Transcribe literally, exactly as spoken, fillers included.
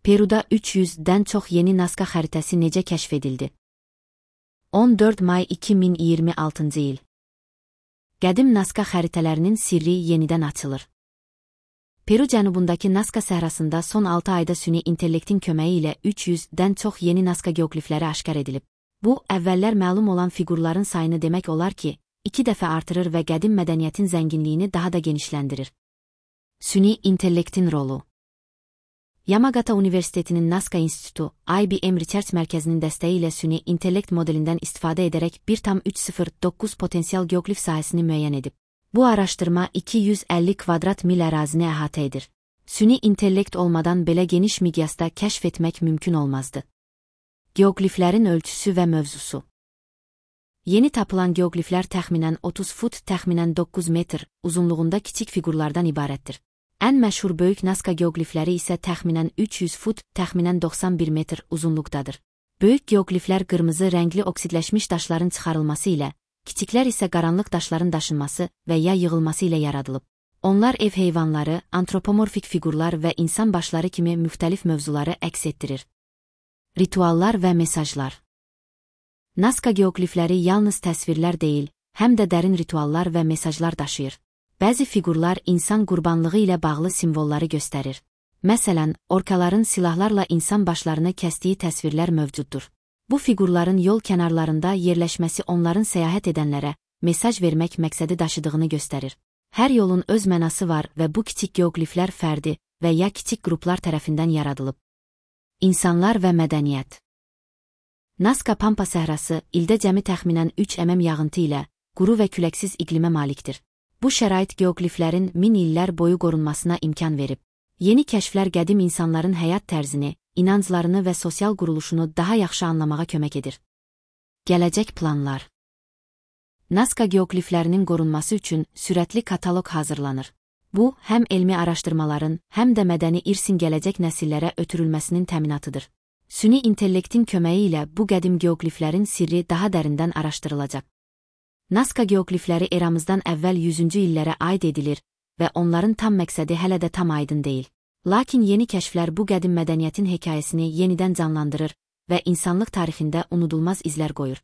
Peruda üç yüzdən çox yeni Nazca xəritəsi necə kəşf edildi? on dörd may iki min iyirmi altıncı il. Qədim Nazca xəritələrinin sirri yenidən açılır. Peru cənubundakı Nazca səhrasında son altı ayda süni intellektin köməyi ilə üç yüzdən çox yeni Nazca geoqlifləri aşkar edilib. Bu, əvvəllər məlum olan fiqurların sayını demək olar ki, iki dəfə artırır və qədim mədəniyyətin zənginliyini daha da genişləndirir. Süni intellektin rolu. Yamagata Universitetinin Nazca İnstitutu, I B M Research Mərkəzinin dəstəyi ilə süni intellekt modelindən istifadə edərək bir tam üç sıfır doqquz potensial geoqlif sahəsini müəyyən edib. Bu araşdırma iki yüz əlli kvadrat mil ərazini əhatə edir. Süni intellekt olmadan belə geniş miqyasda kəşf etmək mümkün olmazdı. Geoqliflərin ölçüsü və mövzusu. Yeni tapılan geoqliflər təxminən otuz fut, təxminən doqquz metr uzunluğunda kiçik fiqurlardan ibarətdir. Ən məşhur böyük Nazca geoqlifləri isə təxminən üç yüz fut, təxminən doxsan bir metr uzunluqdadır. Böyük geoqliflər qırmızı rəngli oksidləşmiş daşların çıxarılması ilə, kiçiklər isə qaranlıq daşların daşınması və ya yığılması ilə yaradılıb. Onlar ev heyvanları, antropomorfik fiqurlar və insan başları kimi müxtəlif mövzuları əks etdirir. Rituallar və mesajlar. Nazca geoqlifləri yalnız təsvirlər deyil, həm də dərin rituallar və mesajlar daşıyır. Bəzi fiqurlar insan qurbanlığı ilə bağlı simvolları göstərir. Məsələn, orkaların silahlarla insan başlarını kəsdiyi təsvirlər mövcuddur. Bu fiqurların yol kənarlarında yerləşməsi onların səyahət edənlərə mesaj vermək məqsədi daşıdığını göstərir. Hər yolun öz mənası var və bu kiçik geoqliflər fərdi və ya kiçik qruplar tərəfindən yaradılıb. İnsanlar və mədəniyyət. Nazca Pampa səhrası ildə cəmi təxminən üç mm yağıntı ilə quru və küləksiz iqlimə malikdir. Bu şərait geoqliflərin min illər boyu qorunmasına imkan verib. Yeni kəşflər qədim insanların həyat tərzini, inanclarını və sosial quruluşunu daha yaxşı anlamağa kömək edir. Gələcək planlar. Nazca geoqliflərinin qorunması üçün sürətli kataloq hazırlanır. Bu, həm elmi araşdırmaların, həm də mədəni irsin gələcək nəsillərə ötürülməsinin təminatıdır. Süni intellektin köməyi ilə bu qədim geoqliflərin sirri daha dərindən araşdırılacaq. Nazca geoqlifləri eramızdan əvvəl yüzüncü illərə aid edilir və onların tam məqsədi hələ də tam aydın deyil. Lakin yeni kəşflər bu qədim mədəniyyətin hekayəsini yenidən canlandırır və insanlıq tarixində unudulmaz izlər qoyur.